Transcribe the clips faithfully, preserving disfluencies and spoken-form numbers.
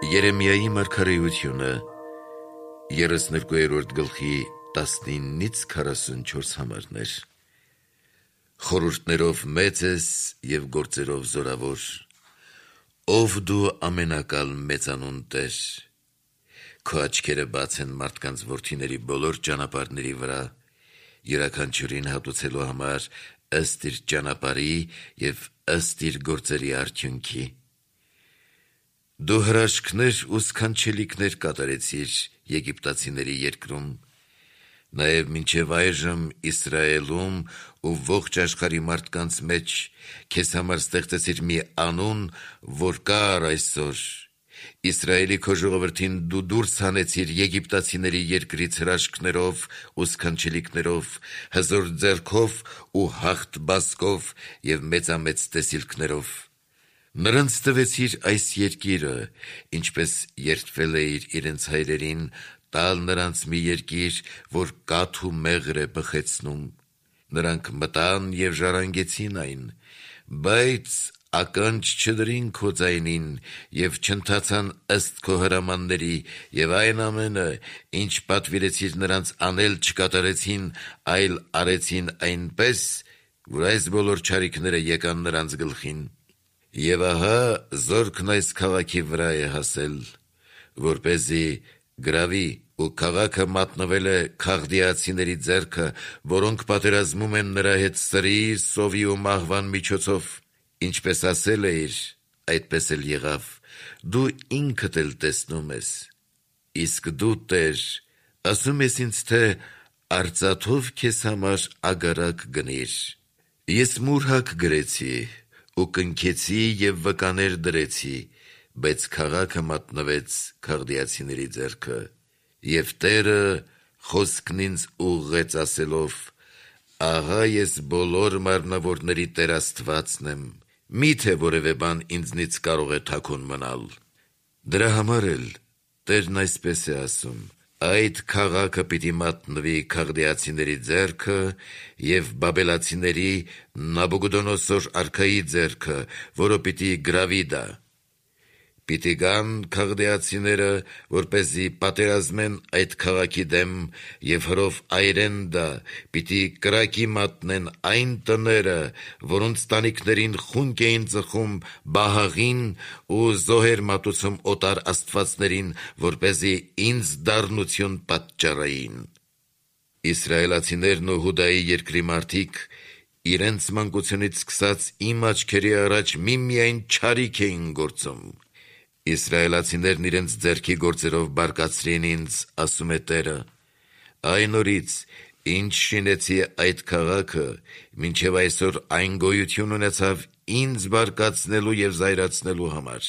Երեմիայի մարգարեությունը երեսներկուերորդ գլխի տասնինից քառասունչորս համարներ։ Խորհուրդներով մեծ ես և գործերով զորավոր, ով դու ամենակալ մեծանուն Տեր, քո աչքերը բաց են մարդկանց որդիների բոլոր ճանապարհների վրա, յուրաքանչյուրին հատուցելու համար ըստ իր ճանապարհի և ըստ իր գործերի արդյունքի։ Դու հրաշքներ ու սքանչելիքներ կատարեցիր եգիպտացիների երկրում, նաև մինչև այժմ Իսրայելում ու ողջ աշխարհի մարդկանց մեջ քեզ համար ստեղծեցիր մի անուն, որ կա առ այսօր։ Իսրայելի քո ժողովրդին դու դուրս հանեցիր եգիպտացիների երկրից հրաշքներով ու սքանչելիքներով, հզոր ձեռքով ու հաղթ բազկով և մեծամեծ տեսիլքներով։ Նրանց տվեցիր այս երկիրը, ինչպես երդվել էիր իրենց հայրերին, տալ նրանց մի երկիր, որ կաթ ու մեղր է բխեցնում։ Նրանք մտան և ժառանգեցին այն, բայց ականջ չդրին քո ձայնին և չընթացան ըստ քո հրամանների, և այն ամենը, ինչ պատվիրեցիր նրանց անել, չկատարեցին, այլ արեցին այնպես, որ այս բոլոր չարիքները եկան նրանց գլխին։ Եվ ահա զորքն այս քաղաքի վրա է հասել, որպեսզի գրավի, ու քաղաքը մատնվել է քաղդիացիների ձեռքը, որոնք պատերազմում են նրա հետ սրի, սովի ու մահվան միջոցով։ Ինչպես ասել էիր, այդպես էլ եղավ, դու ինքդ էլ տեսնում ես։ Իսկ դու, Տեր, ասում ես ինձ, թե արծաթով քեզ համար ագարակ գնիր։ Ես մուրհակ գրեցի ու կնքեցի և վկաներ դրեցի, բայց քաղաքը մատնվեց քաղդիացիների ձեռքը։ Եվ Տերը խոսքն ինձ ուղղեց ասելով. ահա ես բոլոր մարմնավորների Տեր Աստվածն եմ, մի՞թե որևէ բան ինձնից կարող է թաքուն մնալ։ Դրա համար էլ Տերն այսպես է ասում. այդ քաղաքը պիտի մատնվի քաղդիացիների ձեռքը և բաբելացիների Նաբուգոդոնոսոր արքայի ձեռքը, որը պիտի գրավի դա։ Պիտի գան քաղդիացիները, որպեսզի պատերազմեն այդ քաղաքի դեմ և հրով այրեն դա, պիտի կրակի մատնեն այն տները, որոնց տանիքներին խունկ էին ծխում Բահաղին ու զոհեր մատուցում օտար աստվածներին, որպեսզի ինձ դառնություն պատճառեին։ Իսրայելացիներն ու Հուդայի երկրի մարդիկ իրենց մանկությունից սկսած իմ աչքերի առաջ միմիայն չարիք էին գործում։ Իսրայելացիներն իրենց ձեռքի գործերով բարկացրին ինձ, ասում է Տերը։ Այն օրից, ինչ շինեցի այդ քաղաքը, մինչև այսօր այն գոյություն ունեցավ ինձ բարկացնելու և զայրացնելու համար։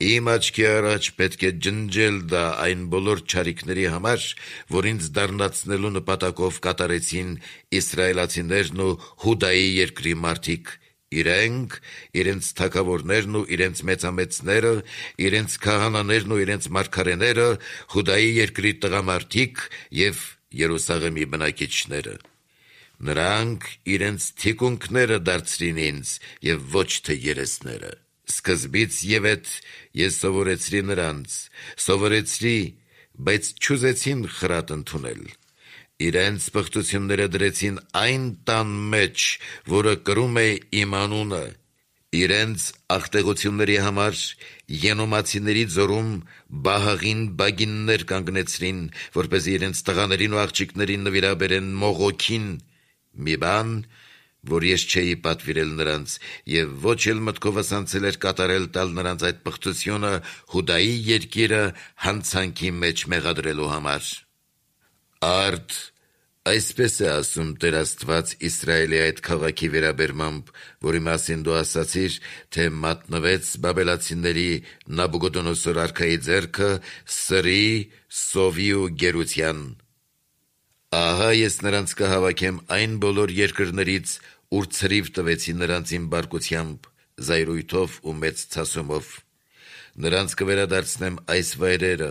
Իմ աչքի առաջ պետք է ջնջել դա այն բոլոր չարիքների համար, որ ինձ դառնացնելու նպատակով կատարեցին իսրայելացիներն ու Հուդայի երկրի մարդիկ, իրենք, իրենց թագավորներն ու իրենց մեծամեծները, իրենց քահանաներն ու իրենց մարգարեները, Հուդայի երկրի տղամարդիկ և Երուսաղեմի բնակիչները։ Նրանք իրենց թիկունքները դարձրին ինձ և ոչ թե երեսները։ Սկզբից ևեթ ես սովորեցրի նրանց, սովորեցրի, բայց չուզեցին խրատ ընդունել։ Իրենց պղծությունները դրեցին այն տան մեջ, որը կրում է իմ անունը։ Իրենց աղտեղությունների համար Ենոմացիների ձորում Բահաղին բագիններ կանգնեցրին, որպեսզի իրենց տղաներին ու աղջիկներին նվիրաբերեն մողոքին, մի բան, որ ես չէի պատվիրել նրանց, և ոչ էլ մտքովս անցել էր կատարել տալ նրանց այդ պղծությունը Հուդայի երկիրը հանցանքի մեջ մեղադրելու համար։ Արդ այսպես է ասում Տեր Աստված Իսրայելի այդ քաղաքի վերաբերմամբ, որի մասին դու ասացիր, թե մատնվեց բաբելացիների Նաբուգոդոնոսոր արքայի ձեռքը սրի, սովի ու գերության։ Ահա ես նրանց կհավաքեմ այն բոլոր երկրներից, ուր ցրիվ տվեցի նրանց իմ բարկությամբ, զայրույթով ու մեծ ցասումով։ Նրանց կվերադարձնեմ այս վայրերը,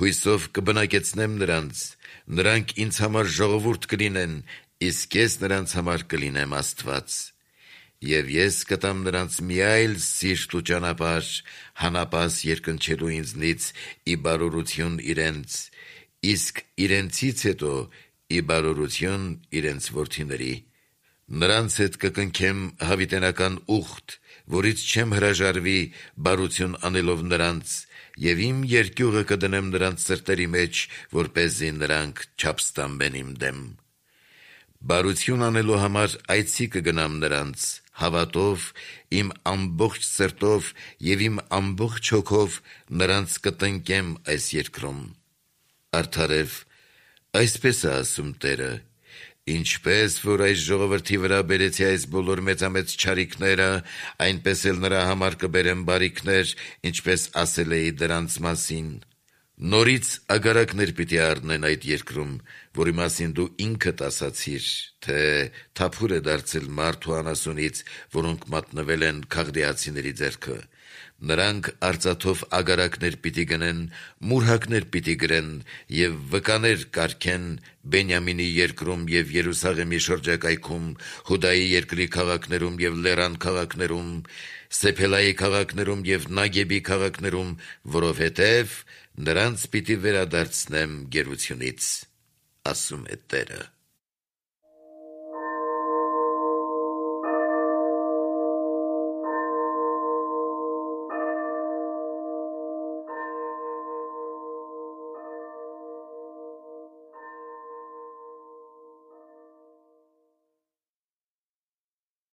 հույսով կբնակեցնեմ նրանց, նրանք ինձ համար ժողովուրդ կլինեն, իսկ ես նրանց համար կլինեմ Աստված։ Եվ ես կտամ նրանց մի այլ սիրտ ու ճանապարհ, հանապաս երկնչելու ինձնից ի բարօրություն իրենց, իսկ իրենցից հետո ի բարօրություն իրենց որդիների։ Նրանց հետ կկնքեմ հավիտենական ուխտ, որից չեմ հրաժարվի բարություն անելով նրանց, և իմ երկյուղը կդնեմ նրանց սրտերի մեջ, որպեսզի նրանք չապստամբեն իմ դեմ։ Բարություն անելու համար այցի կգնամ նրանց, հավատով, իմ ամբողջ սրտով և իմ ամբողջ հոգով նրանց կտնկեմ այս երկրում։ Արդարև, այսպես է ասում Տերը. ինչպես որ այս ժողովրդի վրա բերեցի այս բոլոր մեծամեծ չարիքները, այնպես էլ նրա համար կբերեմ բարիքներ, ինչպես ասել էի դրանց մասին։ Նորից ագարակներ պիտի առնեն այդ երկրում, որի մասին դու ինքդ ասացիր, թե թափուր է դարձել մարդ ու անասունից, որոնք մատնվել են քաղդեացիների ձեռքը։ Նրանք արծաթով ագարակներ պիտի գնեն, մուրհակներ պիտի գրեն և վկաներ կարգեն Բենյամինի երկրում և Երուսաղեմի շրջակայքում, Հուդայի երկրի քաղաքներում և լեռան քաղաքներում, Սեփելայի քաղաքներում և Նագեբի քաղաքներում, որովհետև նրանց պիտի վերադարձնեմ գերությունից, ասում է Տերը։